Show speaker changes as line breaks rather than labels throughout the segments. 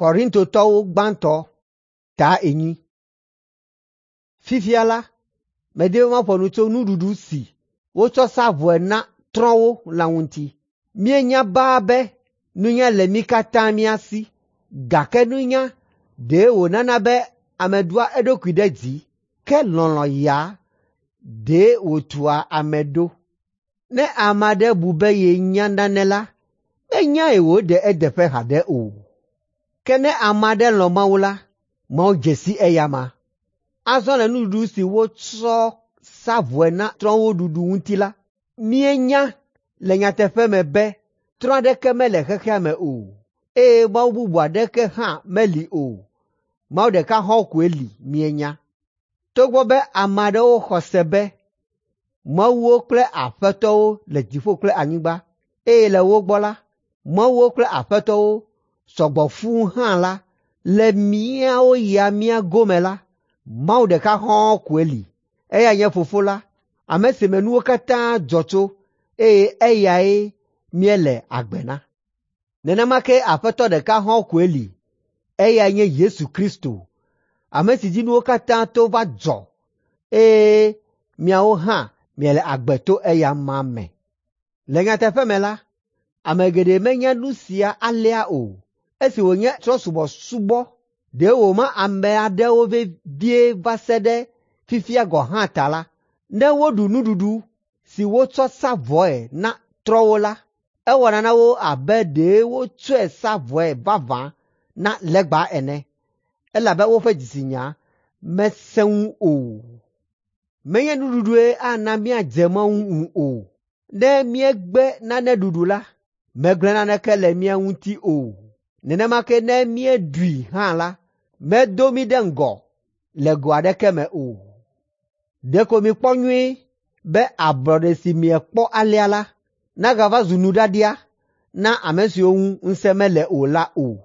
Korintotɔwo gbãtɔ ta 4. Fifia la, medi be maƒo nu tso nuɖuɖu si wotsɔ sa vɔe na trɔ̃wo la ŋuti. Míenya baa be nunya le mí katã mía si, gake nunya ɖe wònana be ame doa eɖokui ɖe dzi, ke lɔlɔ̃ ya ɖe wòtua ame ɖo. Ne ame aɖe bu be yenya nane la, menyae wòde edeƒe haɖe o. Ke ne ame aɖe lɔ̃ Mawu la, Mawu dze si eya amea. Azɔ le nuɖuɖu si wotsɔ sa vɔe na trɔ̃wo ɖuɖu ŋuti la, míenya le nyateƒe me be trɔ̃ aɖeke mele xexea me o, eye Mawu bubu aɖeke hã meli o. Mawu ɖeka hɔ̃ɔ koe li míenya. Togbɔ be ame aɖewo xɔ se be mawuwo kple aƒetɔwo le dziƒo kple anyigba, eye le wo gbɔ la, mawuwo kple aƒetɔwo sɔgbɔ fũu hã la, le míawo ya mía gome la, Mawu ɖeka hɔ̃ɔ koe li. Eyae nye Fofo la, ame si me nuwo katã dzɔ tso, eye eyae míele agbe na. Nenema ke Aƒetɔ ɖeka hɔ̃ɔ koe li, eyae nye Yesu Kristo, ame si dzi nuwo katã to va dzɔ, eye miawo hã miele agbe to eya amea me. Le nyateƒe me la, ame geɖe menya nu sia alea o. Esi wònye trɔ̃subɔsubɔ ɖe wòma ame aɖewo vevie va se ɖe fifia gɔ̃ hã ta la, ne woɖu nuɖuɖu si wotsɔ sa vɔe na trɔ̃wo la, ewɔna na wo abe ɖe wotsɔe sa vɔe vavã na legba ene, elabe woƒe dzitsinya mesẽ ŋu o. Menye nuɖuɖue ana míadze Mawu ŋu o. Ne míegbe nane ɖuɖu la, megblẽ naneke le mía ŋuti o. Nenema ke ne míeɖui hã la, medo mí ɖe ŋgɔ le go aɖeke me o. Ɖeko mikpɔ nyuie be ablɔɖe si miekpɔ alea la nagava zu nuɖaɖia na ame siwo ŋu ŋusẽ mele o la o.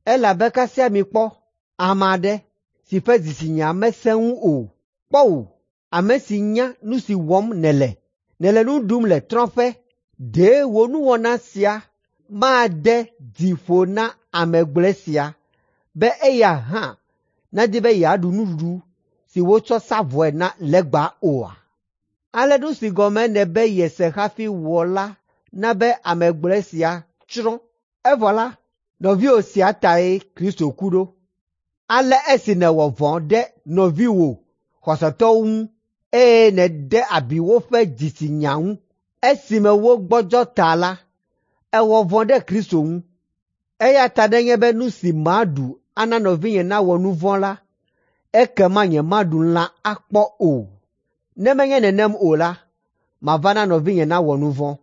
Elabe kasia mikpɔ ame aɖe si ƒe dzitsinya mesẽ ŋu o kpɔ wò, ame si nya nu si wɔm nèle, nèle nu ɖum le trɔ̃ƒe, ɖe wò nuwɔna sia made dzi ƒo na ame gblɔe sia be eya hã nadi be yeaɖu nuɖuɖu si wotsɔ sa vɔe na legba oa? Ale nu si gɔme nèbe yese hafi wɔ la na be ame gblɔe sia tsrɔ̃. Evɔ la, nɔviwò sia tae Kristo ku ɖo. Ale esi nèwɔ vɔ̃ ɖe nɔviwò xɔsetɔwo ŋu, eye nède abi woƒe dzitsinya ŋu esime wogbɔdzɔ ta la, èwɔ vɔ̃ ɖe Kristo ŋu. Eya ta nenye be nu si maɖu ana nɔvinye nawɔ nu vɔ̃ la, ekema nyemaɖu lã akpɔ o. Ne menye nenem o la, mava na nɔvinye nawɔ nu vɔ̃.